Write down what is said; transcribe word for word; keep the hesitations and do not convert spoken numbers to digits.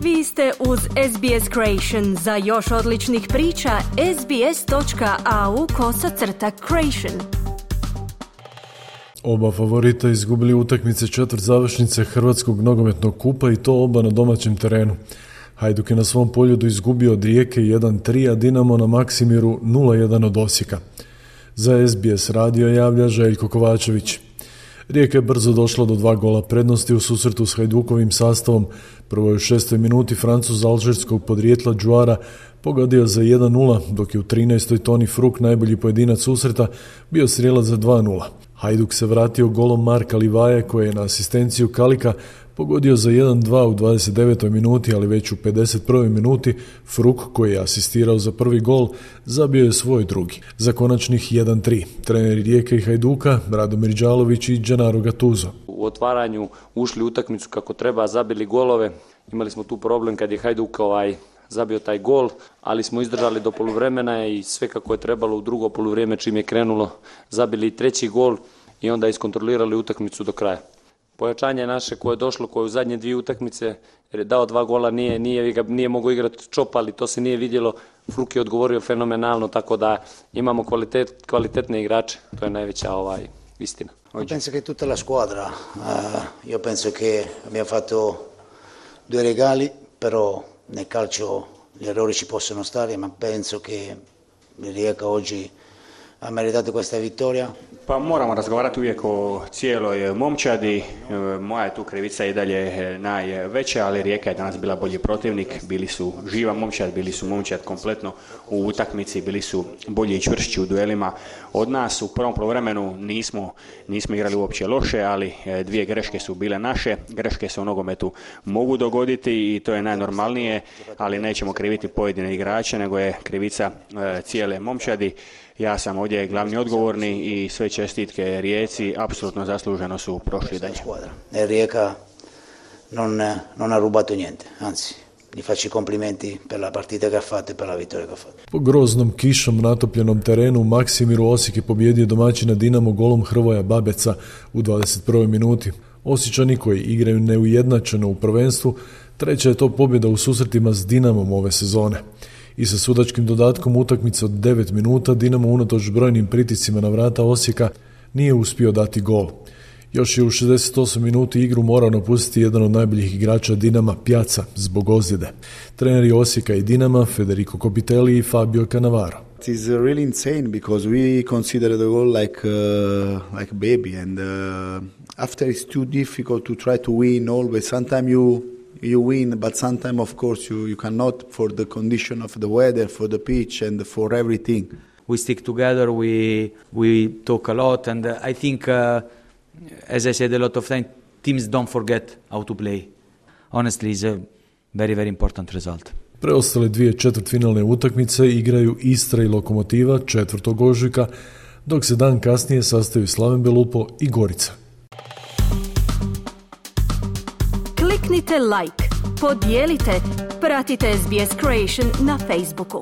Vi ste uz S B S Creation. Za još odličnih priča, sbs.au kosacrta Creation. Oba favorita izgubili utakmice četvrt završnice Hrvatskog nogometnog kupa i to oba na domaćem terenu. Hajduk je na svom poljudu izgubio od Rijeke jedan tri, a Dinamo na Maksimiru nula jedan od Osijeka. Za S B S radio javlja Željko Kovačević. Rijeka je brzo došla do dva gola prednosti u susretu s Hajdukovim sastavom. Prvo je u šestoj minuti Francuz alžirskog podrijetla Džuara pogodio za jedan nula, dok je u trinaestoj Toni Fruk, najbolji pojedinac susreta, bio strijelac za dva nula. Hajduk se vratio golom Marka Livaje, koji je na asistenciju Kalika pogodio za jedan dva u dvadeset devetoj minuti, ali već u pedeset prvoj minuti Fruk, koji je asistirao za prvi gol, zabio je svoj drugi. Za konačnih jedan tri. Treneri Rijeke i Hajduka, Radomir Đalović i Gennaro Gattuso. U otvaranju ušli u utakmicu kako treba, zabili golove. Imali smo tu problem kad je Hajduk ovaj zabio taj gol, ali smo izdržali do poluvremena i sve kako je trebalo u drugo poluvrijeme čim je krenulo, zabili treći gol i onda iskontrolirali utakmicu do kraja. Pojačanje naše koje je došlo, koje u zadnje dvije utakmice, jer je dao dva gola, nije, nije, nije mogao igrati Čop, ali to se nije vidjelo. Fruk je odgovorio fenomenalno, tako da imamo kvalitet, kvalitetne igrače, to je najveća ovaj, istina. Io penso che tutta la squadra, uh, io penso che abbiamo fatto due regali, però nel calcio gli errori ci possono stare, ma penso che Rijeka oggi ha meritato questa vittoria. Pa moramo razgovarati uvijek o cijeloj momčadi. Moja je tu krivica i dalje najveća, ali Rijeka je danas bila bolji protivnik. Bili su živa momčad, bili su momčad kompletno u utakmici, bili su bolji i čvršći u duelima od nas. U prvom poluvremenu nismo, nismo igrali uopće loše, ali dvije greške su bile naše. Greške se u nogometu mogu dogoditi i to je najnormalnije, ali nećemo kriviti pojedine igrače, nego je krivica cijele momčadi. Ja sam ovdje glavni odgovorni i sve čestitke Rijeci apsolutno zasluženo su prošli dalje. Rijeka non, non ha rubato niente, anzi, gli faccio i complimenti per la partita che ha fatto e per la vittoria che ha fatto. Po groznom kišom natopljenom terenu u Maksimiru Osijek je pobijedio domaćina Dinamo golom Hrvoja Babeca u dvadeset prvoj minuti. Osječani koji igraju neujednačeno u prvenstvu, treća je to pobjeda u susretima s Dinamom ove sezone. I sa sudačkim dodatkom utakmice od devet minuta Dinamo unatoč brojnim pritiscima na vrata Osijeka nije uspio dati gol. Još je u šezdeset osmoj minuti igru morao napustiti jedan od najboljih igrača Dinama, Pjaca, zbog ozljede. Treneri Osijeka i Dinama, Federico Copitelli i Fabio Cannavaro. It is really insane because we consider the goal like uh, like baby and uh, after it's too difficult to try to win always. Sometimes you you win, but sometimes of course you, you cannot for the condition of the weather, for the pitch and for everything. We stick together, we we talk a lot, and uh, I think, uh, as I said a lot of times, teams don't forget how to play. Honestly, it's a very, very important result. Preostale dvije četvrtfinalne utakmice igraju Istra i Lokomotiva četvrtog ožujka, dok se dan kasnije sastaju Slaven Belupo i Gorica. Kliknite like, podijelite, pratite S B S Creation na Facebooku.